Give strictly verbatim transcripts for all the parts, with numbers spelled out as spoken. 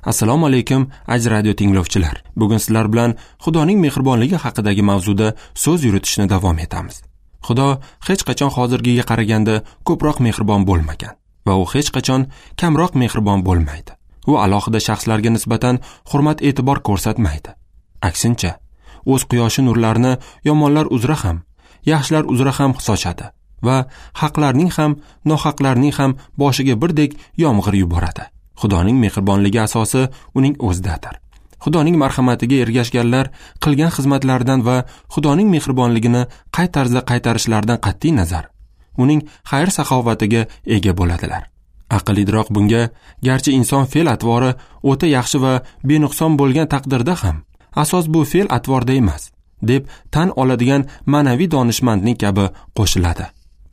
Assalomu alaykum, aziz radio tinglovchilar. Bugun sizlar bilan Xudoning mehribonligi haqidagi mavzuda so'z yuritishni davom etamiz. Xudo hech qachon hozirgiga qaraganda ko'proq mehribon bo'lmagan va u hech qachon kamroq mehribon bo'lmaydi. U alohida shaxslarga nisbatan hurmat-e'tibor ko'rsatmaydi. Aksincha, o'z quyoshi nurlarini yomonlar uzra ham, yaxshilar uzra ham sochadi va haqlarning ham, nohaqlarning ham boshiga birdek yomg'ir yuboradi. Xudoning mehribonligi asosi uning o'zidadir. Xudoning marhamatiga ergashganlar qilgan xizmatlaridan va Xudoning mehribonligini qay tarzda qaytarishlaridan qat'iy nazar, uning xayr-saxovatiga ega bo'ladilar. Aql idrok bunga, garchi inson fe'l-atvori o'ta yaxshi va benuqson bo'lgan taqdirda ham, asos bu fe'l-atvorda emas, deb tan oladigan ma'naviy donishmandning kabi qo'shiladi.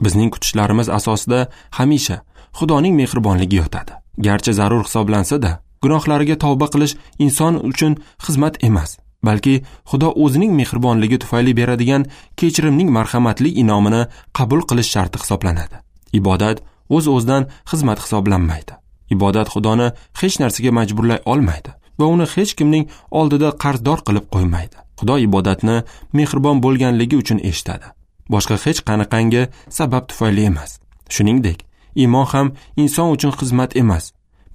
Bizning kutishlarimiz asosida hamisha Xudoning mehribonligi yotadi. Garchi zarur hisoblansa-da, gunohlariga tavba qilish inson uchun xizmat emas, balki Xudo o'zining mehribonligi tufayli beradigan kechirimning marhamatli inomini qabul qilish sharti hisoblanadi. Ibodat o'z-o'zidan xizmat hisoblanmaydi. Ibodat Xudoni hech narsaga majburlay olmaydi va uni hech kimning oldida qarzdor qilib qo'ymaydi. Xudo ibodatni mehribon bo'lganligi uchun eshitadi. Boshqa hech qanaqangi sabab tufayli emas. Shuningdek, iymon ham inson uchun xizmat emas.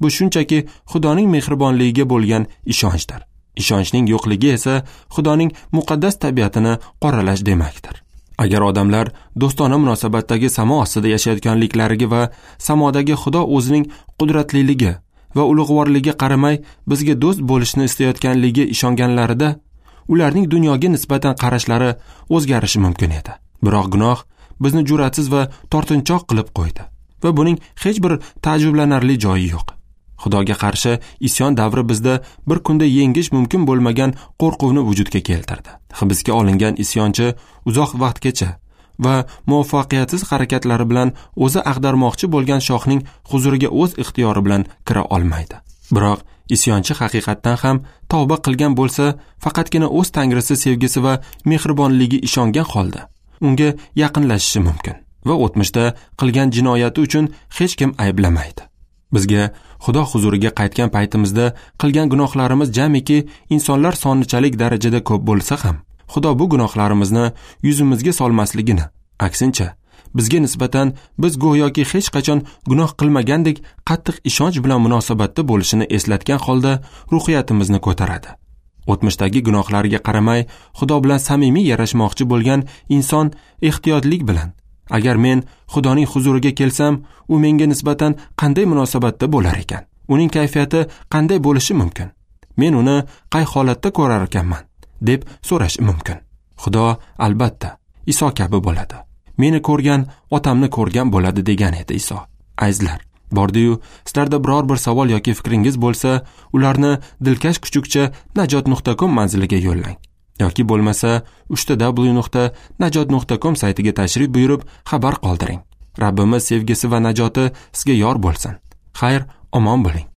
Bu shunchaki Xudoning mehribonligiga bo'lgan ishonchdir. Ishonchning yo'qligi esa Xudoning muqaddas tabiatini qoralash demakdir. Agar odamlar do'stona munosabatdagi samo ostida yashayotganliklariga va samodagi Xudo o'zining qudratliligi va ulug'vorligiga qaramay bizga do'st bo'lishni istayotganligiga ishonganlarida, ularning dunyoga nisbatan qarashlari o'zgarishi mumkin edi. Biroq gunoh bizni jur'atsiz va tortinchoq qilib qo'ydi va buning hech bir taajjublanarli joyi yo'q. Xudoga qarshi isyon davri bizda bir kunda yengish mumkin bo'lmagan qo'rquvni vujudga keltirdi. Hibsga olingan isyonchi uzoq vaqtgacha va muvaffaqiyatsiz harakatlari bilan o'zi ag'darmoqchi bo'lgan shohning huzuriga o'z ixtiyori bilan kira olmaydi. Biroq isyonchi haqiqatdan ham tavba qilgan bo'lsa, faqatgina o'z tangrisi sevgisi va mehribonligiga ishongan holda unga yaqinlashishi mumkin va o'tmishda qilgan jinoyati uchun hech kim ayblamaydi. Bizga Xudo huzuriga qaytgan paytimizda qilgan gunohlarimiz jamiki insonlar sonichalik darajada ko'p bo'lsa ham, Xudo bu gunohlarimizni yuzimizga solmasligini, aksincha, bizga nisbatan biz go'yoki hech qachon gunoh qilmagandek qattiq ishonch bilan munosabatda bo'lishini eslatgan holda ruhiyatimizni ko'taradi. O'tmishdagi gunohlariga qaramay Xudo bilan samimiy yarashmoqchi bo'lgan inson ehtiyotlik bilan, agar men Xudoning huzuriga kelsam, u menga nisbatan qanday munosabatda bo'lar ekan? Uning kayfiyati qanday bo'lishi mumkin? Men uni qay holatda ko'rar ekanman? deb so'rashi mumkin. Xudo albatta Iso kabi bo'ladi. Meni ko'rgan otamni ko'rgan bo'ladi degan edi Iso. Azizlar, bordi-yu, sizlarda biror bir savol yoki fikringiz bo'lsa, ularni dilkash kuchukcha najot nuqta com manziliga yo'llang. Yoki bo'lmasa uch ta w nuqta najot nuqta com saytiga tashrif buyurib xabar qoldiring. Rabbimiz sevgisi va najoti sizga yor bo'lsin. Xayr, omon bo'ling.